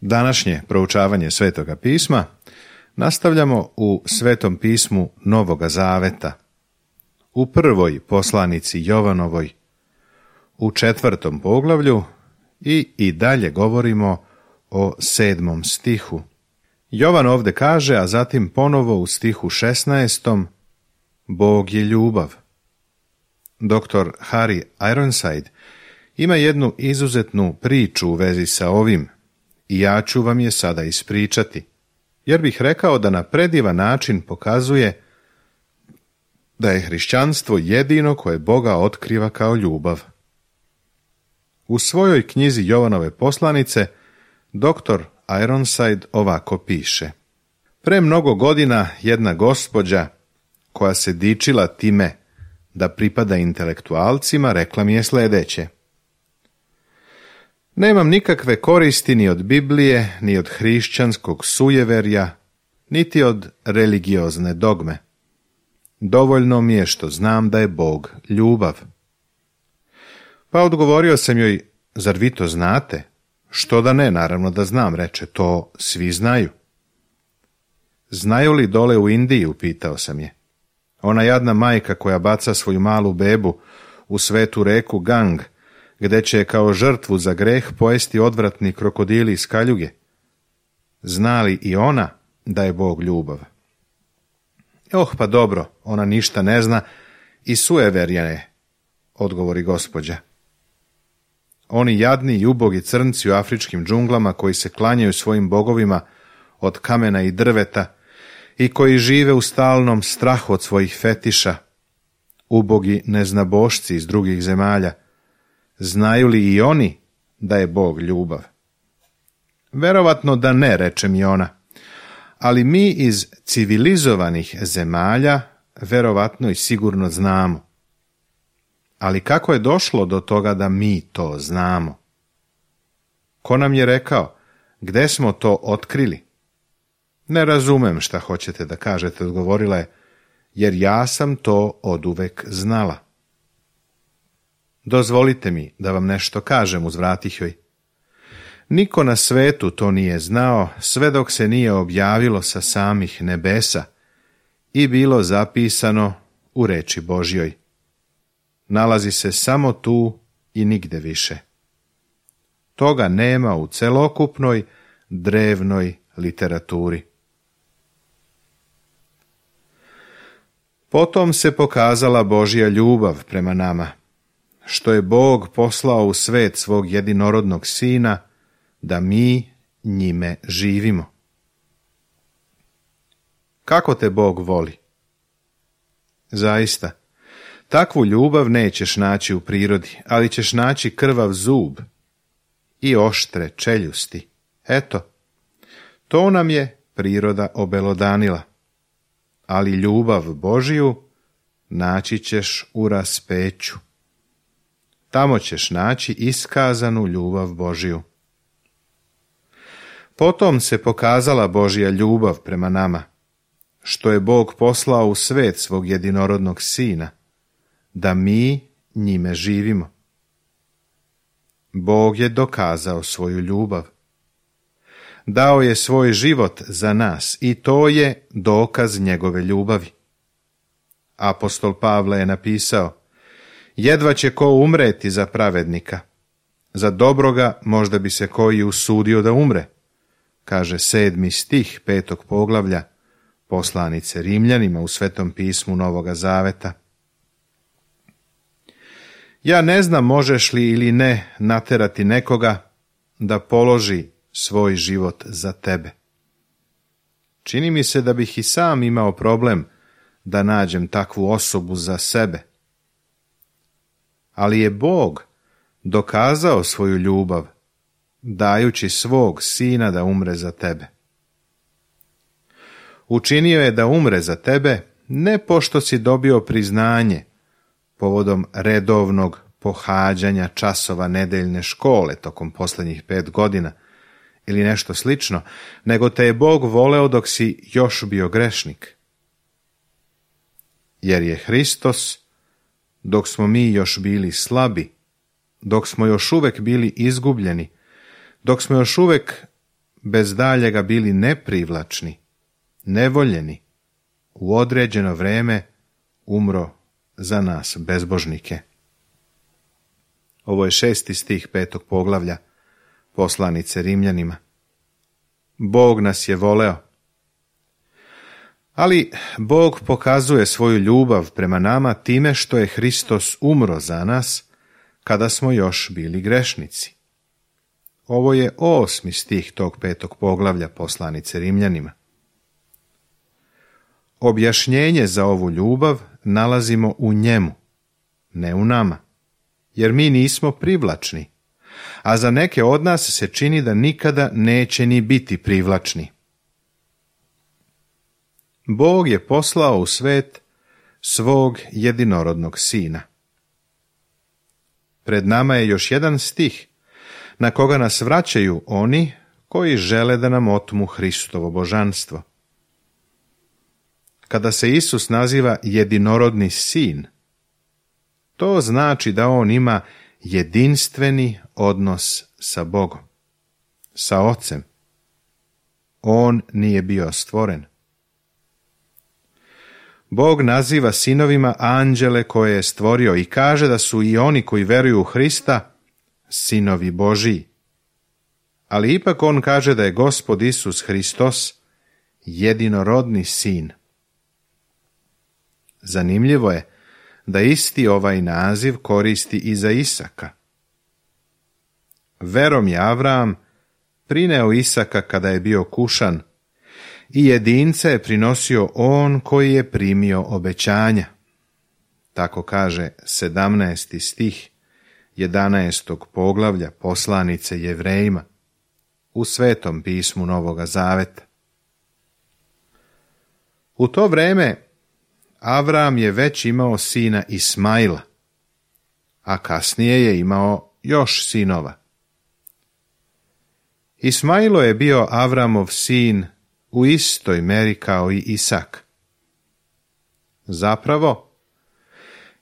Današnje proučavanje Svetoga pisma nastavljamo u Svetom pismu Novoga Zaveta, u prvoj poslanici Jovanovoj, u 4. poglavlju i dalje govorimo o 7. stihu. Jovan ovdje kaže, a zatim ponovo u stihu 16. Bog je ljubav. Dr. Harry Ironside ima jednu izuzetnu priču u vezi sa ovim i ja ću vam je sada ispričati, jer bih rekao da na predivan način pokazuje da je hrišćanstvo jedino koje Boga otkriva kao ljubav. U svojoj knjizi Jovanove poslanice dr. Ironside ovako piše: Pre mnogo godina jedna gospođa koja se dičila time da pripada intelektualcima rekla mi je sljedeće: Nemam nikakve koristi ni od Biblije, ni od hrišćanskog sujeverja, niti od religiozne dogme. Dovoljno mi je što znam da je Bog ljubav. Pa odgovorio sam joj: Zar vi to znate? Što da ne, naravno da znam, reče, to svi znaju. Znaju li dole u Indiji, upitao sam je. Ona jadna majka koja baca svoju malu bebu u svetu reku Gang, gde će kao žrtvu za greh pojesti odvratni krokodili iz kaljuge. Zna li i ona da je Bog ljubav? Pa dobro, ona ništa ne zna i sujeverja je, odgovori gospođa. Oni jadni i ubogi crnci u afričkim džunglama koji se klanjaju svojim bogovima od kamena i drveta i koji žive u stalnom strahu od svojih fetiša, ubogi neznabošci iz drugih zemalja, znaju li i oni da je Bog ljubav? Verovatno da ne, reče mi ona, ali mi iz civilizovanih zemalja verovatno i sigurno znamo. Ali kako je došlo do toga da mi to znamo? Ko nam je rekao? Gde smo to otkrili? Ne razumem šta hoćete da kažete, odgovorila je, jer ja sam to oduvek znala. Dozvolite mi da vam nešto kažem, uzvratih joj. Niko na svetu to nije znao sve dok se nije objavilo sa samih nebesa i bilo zapisano u reči Božjoj. Nalazi se samo tu i nigde više. Toga nema u celokupnoj drevnoj literaturi. Potom se pokazala Božja ljubav prema nama, što je Bog poslao u svet svog jedinorodnog Sina, da mi njime živimo. Kako te Bog voli? Zaista, takvu ljubav nećeš naći u prirodi, ali ćeš naći krvav zub i oštre čeljusti. Eto, to nam je priroda obelodanila, ali ljubav Božiju naći ćeš u raspeću. Tamo ćeš naći iskazanu ljubav Božiju. Potom se pokazala Božja ljubav prema nama, što je Bog poslao u svet svog jedinorodnog Sina, da mi njime živimo. Bog je dokazao svoju ljubav. Dao je svoj život za nas i to je dokaz njegove ljubavi. Apostol Pavle je napisao: Jedva će ko umreti za pravednika, za dobroga možda bi se koji usudio da umre, kaže 7. stih 5. poglavlja poslanice Rimljanima u Svetom pismu Novoga Zaveta. Ja ne znam možeš li ili ne naterati nekoga da položi svoj život za tebe. Čini mi se da bih i sam imao problem da nađem takvu osobu za sebe. Ali je Bog dokazao svoju ljubav, dajući svog Sina da umre za tebe. Učinio je da umre za tebe ne pošto si dobio priznanje povodom redovnog pohađanja časova nedeljne škole tokom posljednjih 5 godina ili nešto slično, nego te je Bog voleo dok si još bio grešnik. Jer je Hristos, dok smo mi još bili slabi, dok smo još uvek bili izgubljeni, dok smo još uvek bez daljega bili neprivlačni, nevoljeni, u određeno vreme umro za nas, bezbožnike. Ovo je 6. stih 5. poglavlja poslanice Rimljanima. Bog nas je voleo. Ali Bog pokazuje svoju ljubav prema nama time što je Hristos umro za nas kada smo još bili grešnici. Ovo je 8. stih tog 5. poglavlja poslanice Rimljanima. Objašnjenje za ovu ljubav nalazimo u njemu, ne u nama, jer mi nismo privlačni, a za neke od nas se čini da nikada neće ni biti privlačni. Bog je poslao u svet svog jedinorodnog sina. Pred nama je još jedan stih na koga nas vraćaju oni koji žele da nam otmu Hristovo božanstvo. Kada se Isus naziva jedinorodni sin, to znači da on ima jedinstveni odnos sa Bogom, sa Ocem. On nije bio stvoren. Bog naziva sinovima anđele koje je stvorio i kaže da su i oni koji veruju u Hrista sinovi Božiji. Ali ipak on kaže da je Gospod Isus Hristos jedinorodni sin. Zanimljivo je da isti ovaj naziv koristi i za Isaka. Verom je Avram prineo Isaka kada je bio kušan i jedince je prinosio on koji je primio obećanja. Tako kaže 17. stih 11. poglavlja poslanice Jevrejima u Svetom pismu Novoga Zaveta. U to vreme Avram je već imao sina Ismaila, a kasnije je imao još sinova. Ismailo je bio Avramov sin u istoj meri kao i Isak. Zapravo,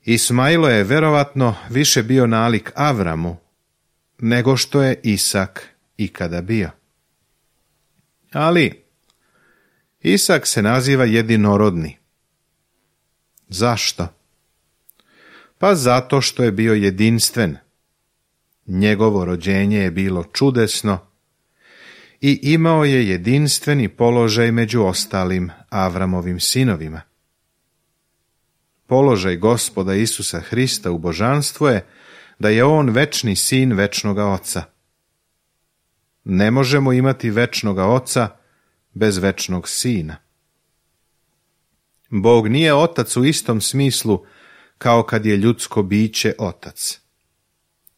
Ismailo je verovatno više bio nalik Avramu nego što je Isak ikada bio. Ali Isak se naziva jedinorodni. Zašto? Pa zato što je bio jedinstven. Njegovo rođenje je bilo čudesno i imao je jedinstveni položaj među ostalim Avramovim sinovima. Položaj Gospoda Isusa Hrista u božanstvu je da je on večni sin večnoga Oca. Ne možemo imati večnoga Oca bez večnog Sina. Bog nije otac u istom smislu kao kad je ljudsko biće otac.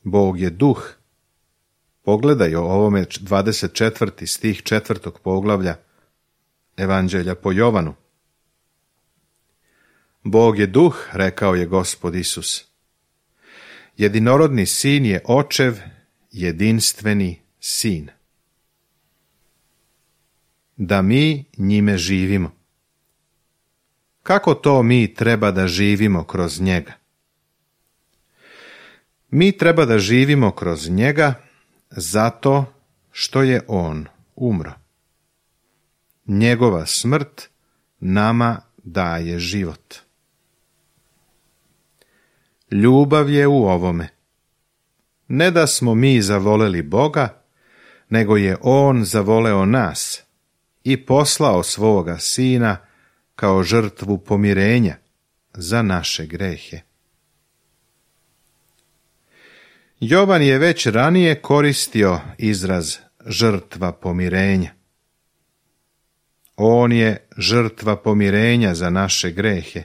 Bog je duh. Pogledaj o ovome 24. stih 4. poglavlja Evanđelja po Jovanu. Bog je duh, rekao je Gospod Isus. Jedinorodni sin je očev, jedinstveni sin. Da mi njime živimo. Kako to mi treba da živimo kroz njega? Mi treba da živimo kroz njega zato što je on umro. Njegova smrt nama daje život. Ljubav je u ovome. Ne da smo mi zavoleli Boga, nego je on zavoleo nas i poslao svoga sina kao žrtvu pomirenja za naše grehe. Jovan je već ranije koristio izraz žrtva pomirenja. On je žrtva pomirenja za naše grehe.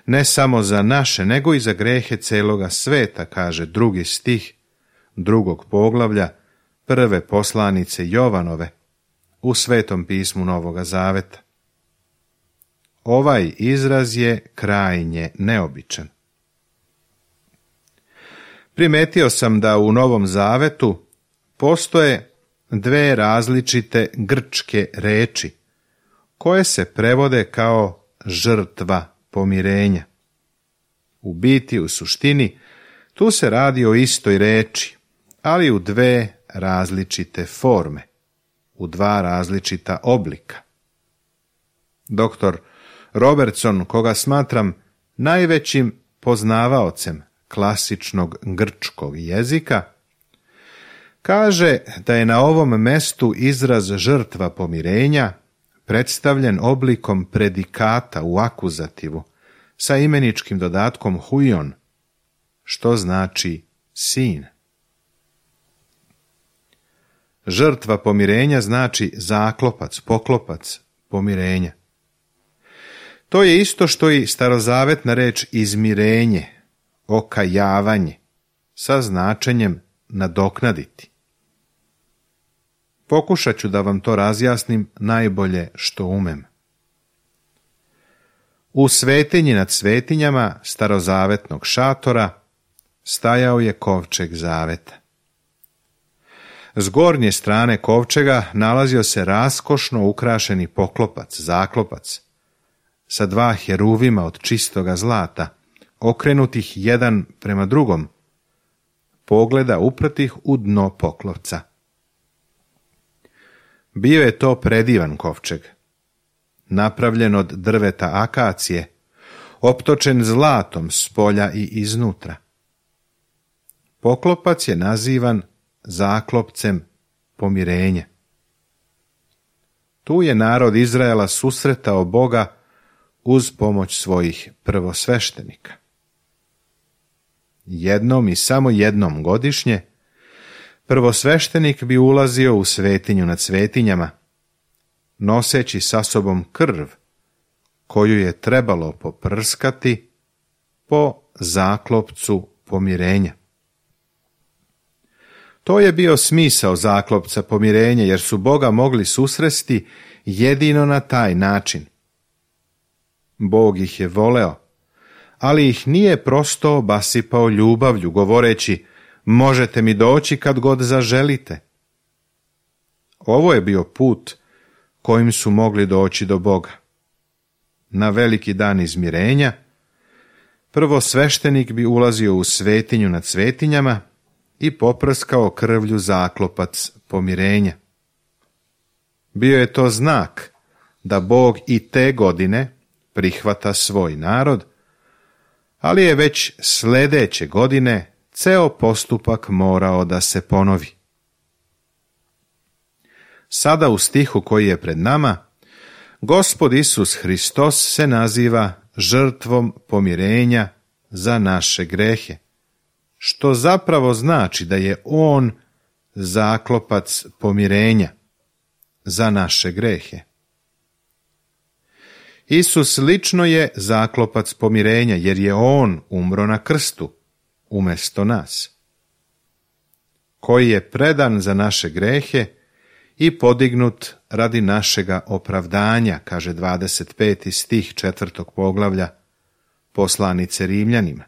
Ne samo za naše, nego i za grehe celoga sveta, kaže 2. stih 2. poglavlja 1. poslanice Jovanove u Svetom pismu Novoga Zaveta. Ovaj izraz je krajnje neobičan. Primetio sam da u Novom Zavetu postoje dve različite grčke reči koje se prevode kao žrtva pomirenja. U biti, u suštini, tu se radi o istoj reči, ali u dve različite forme. u dva različita oblika. Dr. Robertson, koga smatram najvećim poznavaocem klasičnog grčkog jezika, kaže da je na ovom mestu izraz žrtva pomirenja predstavljen oblikom predikata u akuzativu sa imeničkim dodatkom huion, što znači sin. Žrtva pomirenja znači zaklopac, poklopac, pomirenja. To je isto što i starozavetna reč izmirenje, okajavanje, sa značenjem nadoknaditi. Pokušat ću da vam to razjasnim najbolje što umem. U svetinji nad svetinjama starozavetnog šatora stajao je kovčeg zaveta. S gornje strane kovčega nalazio se raskošno ukrašeni poklopac, zaklopac, sa dva heruvima od čistoga zlata, okrenutih jedan prema drugom, pogleda upratih u dno poklopca. Bio je to predivan kovčeg, napravljen od drveta akacije, optočen zlatom s polja i iznutra. Poklopac je nazivan zaklopcem pomirenja. Tu je narod Izraela susretao Boga uz pomoć svojih prvosveštenika. Jednom i samo jednom godišnje prvosveštenik bi ulazio u svetinju nad svetinjama, noseći sa sobom krv, koju je trebalo poprskati po zaklopcu pomirenja. To je bio smisao zaklopca pomirenja, jer su Boga mogli susresti jedino na taj način. Bog ih je voleo, ali ih nije prosto obasipao ljubavlju, govoreći: možete mi doći kad god zaželite. Ovo je bio put kojim su mogli doći do Boga. Na veliki dan izmirenja prvosveštenik bi ulazio u svetinju nad svetinjama i poprskao krvlju zaklopac pomirenja. Bio je to znak da Bog i te godine prihvata svoj narod, ali je već sljedeće godine ceo postupak morao da se ponovi. Sada u stihu koji je pred nama, Gospod Isus Hristos se naziva žrtvom pomirenja za naše grehe, što zapravo znači da je On zaklopac pomirenja za naše grehe. Isus lično je zaklopac pomirenja, jer je On umro na krstu umjesto nas, koji je predan za naše grehe i podignut radi našega opravdanja, kaže 25. stih 4. poglavlja poslanice Rimljanima.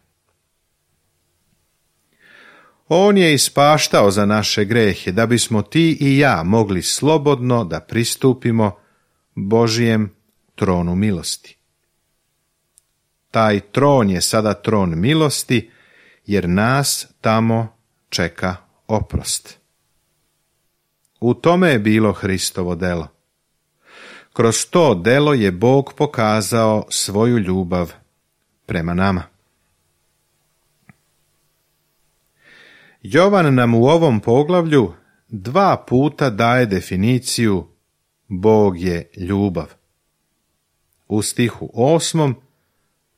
On je ispaštao za naše grehe, da bismo ti i ja mogli slobodno da pristupimo Božijem tronu milosti. Taj tron je sada tron milosti, jer nas tamo čeka oprost. U tome je bilo Hristovo delo. Kroz to delo je Bog pokazao svoju ljubav prema nama. Jovan nam u ovom poglavlju 2 puta daje definiciju Bog je ljubav. U stihu 8.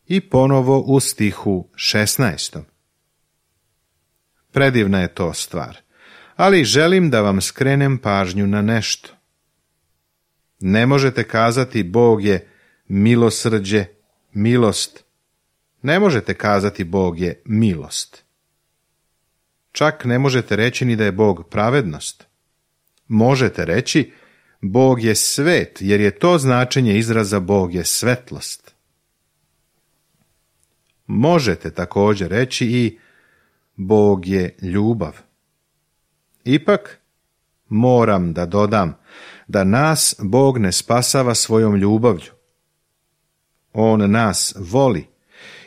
i ponovo u stihu 16. Predivna je to stvar, ali želim da vam skrenem pažnju na nešto. Ne možete kazati Bog je milosrđe, milost. Ne možete kazati Bog je milost. Čak ne možete reći ni da je Bog pravednost. Možete reći Bog je svet, jer je to značenje izraza Bog je svetlost. Možete također reći i Bog je ljubav. Ipak, moram da dodam da nas Bog ne spasava svojom ljubavlju. On nas voli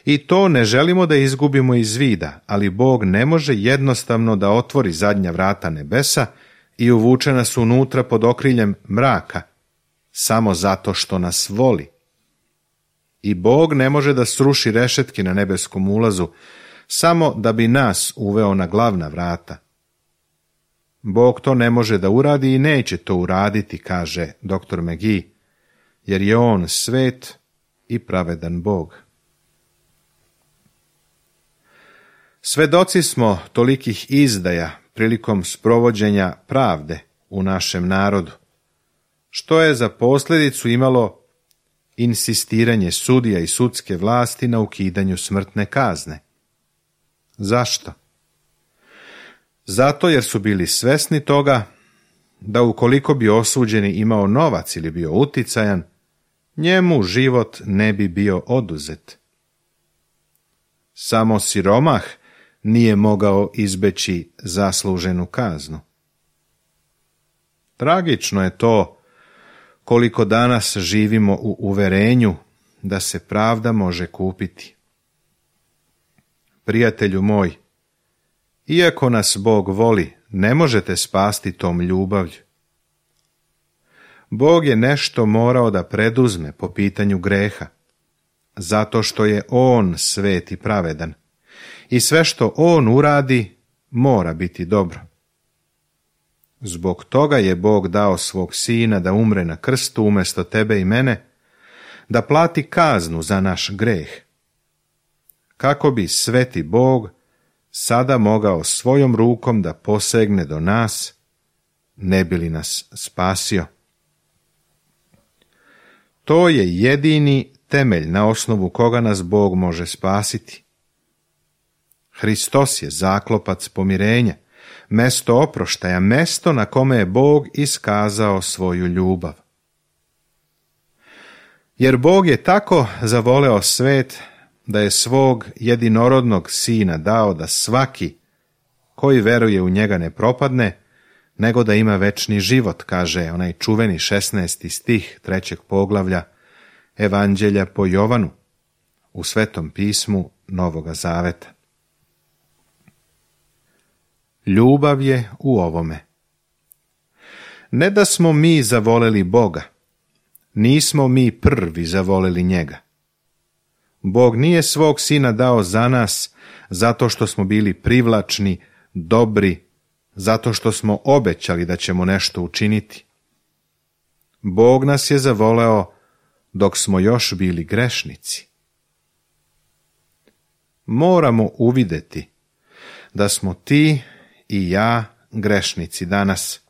i to ne želimo da izgubimo iz vida, ali Bog ne može jednostavno da otvori zadnja vrata nebesa i uvuče nas unutra pod okriljem mraka, samo zato što nas voli. I Bog ne može da sruši rešetke na nebeskom ulazu, samo da bi nas uveo na glavna vrata. Bog to ne može da uradi i neće to uraditi, kaže dr. McGee, jer je on svet i pravedan Bog. Svedoci smo tolikih izdaja prilikom sprovođenja pravde u našem narodu, što je za posljedicu imalo insistiranje sudija i sudske vlasti na ukidanju smrtne kazne. Zašto? Zato jer su bili svesni toga da ukoliko bi osuđeni imao novac ili bio uticajan, njemu život ne bi bio oduzet. Samo siromah nije mogao izbeći zasluženu kaznu. Tragično je to koliko danas živimo u uverenju da se pravda može kupiti. Prijatelju moj, iako nas Bog voli, ne možete spasti tom ljubavlju. Bog je nešto morao da preduzme po pitanju greha, zato što je on svet i pravedan, i sve što on uradi mora biti dobro. Zbog toga je Bog dao svog sina da umre na krstu umjesto tebe i mene, da plati kaznu za naš greh, kako bi sveti Bog sada mogao svojom rukom da posegne do nas, ne bi li nas spasio. To je jedini temelj na osnovu koga nas Bog može spasiti. Hristos je zaklopac pomirenja, mesto oproštaja, mesto na kome je Bog iskazao svoju ljubav. Jer Bog je tako zavoleo svet da je svog jedinorodnog sina dao da svaki koji veruje u njega ne propadne, nego da ima večni život, kaže onaj čuveni 16. stih 3. poglavlja Evanđelja po Jovanu u Svetom pismu Novoga Zaveta. Ljubav je u ovome. Ne da smo mi zavoleli Boga, nismo mi prvi zavoleli njega. Bog nije svog sina dao za nas zato što smo bili privlačni, dobri, zato što smo obećali da ćemo nešto učiniti. Bog nas je zavoleo dok smo još bili grešnici. Moramo uvideti da smo ti i ja grešnici danas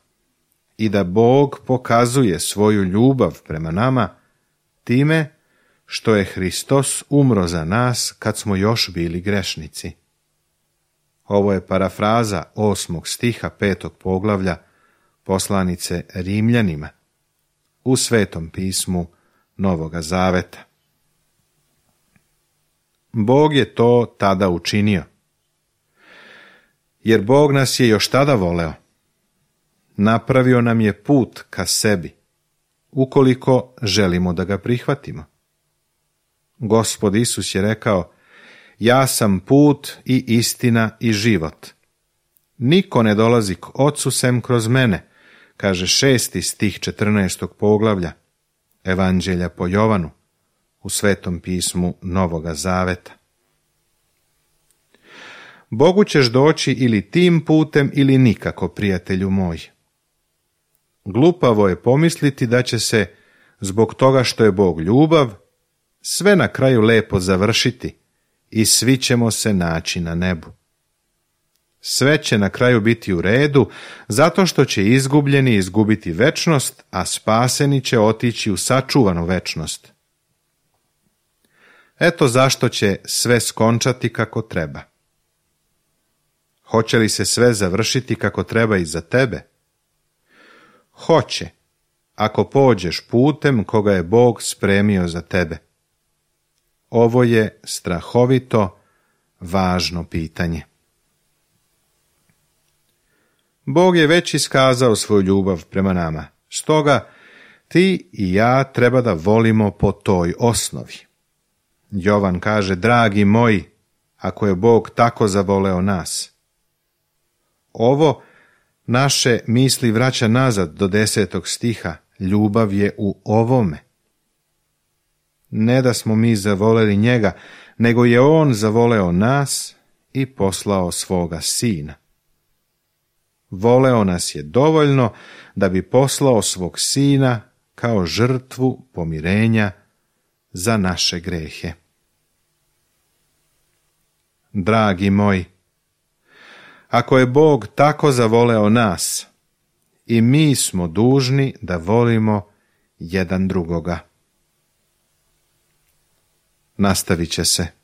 i da Bog pokazuje svoju ljubav prema nama time što je Hristos umro za nas kad smo još bili grešnici. Ovo je parafraza 8. stiha 5. poglavlja poslanice Rimljanima u Svetom pismu Novoga Zaveta. Bog je to tada učinio, jer Bog nas je još tada voleo. Napravio nam je put ka sebi, ukoliko želimo da ga prihvatimo. Gospod Isus je rekao: ja sam put i istina i život. Niko ne dolazi k Ocu sem kroz mene, kaže 6. stih 14. poglavlja Evanđelja po Jovanu u Svetom pismu Novoga Zaveta. Bogu ćeš doći ili tim putem ili nikako, prijatelju moj. Glupavo je pomisliti da će se, zbog toga što je Bog ljubav, sve na kraju lepo završiti i svi ćemo se naći na nebu. Sve će na kraju biti u redu, zato što će izgubljeni izgubiti večnost, a spaseni će otići u sačuvanu večnost. Eto zašto će sve skončati kako treba. Hoće li se sve završiti kako treba i za tebe? Hoće, ako pođeš putem koga je Bog spremio za tebe. Ovo je strahovito važno pitanje. Bog je već iskazao svoju ljubav prema nama, stoga ti i ja treba da volimo po toj osnovi. Jovan kaže: dragi moji, ako je Bog tako zavoleo nas. Ovo naše misli vraća nazad do 10. stiha. Ljubav je u ovome. Ne da smo mi zavoleli njega, nego je on zavoleo nas i poslao svoga sina. Voleo nas je dovoljno da bi poslao svog sina kao žrtvu pomirenja za naše grehe. Dragi moji, ako je Bog tako zavoleo nas, i mi smo dužni da volimo jedan drugoga. Nastavit će se.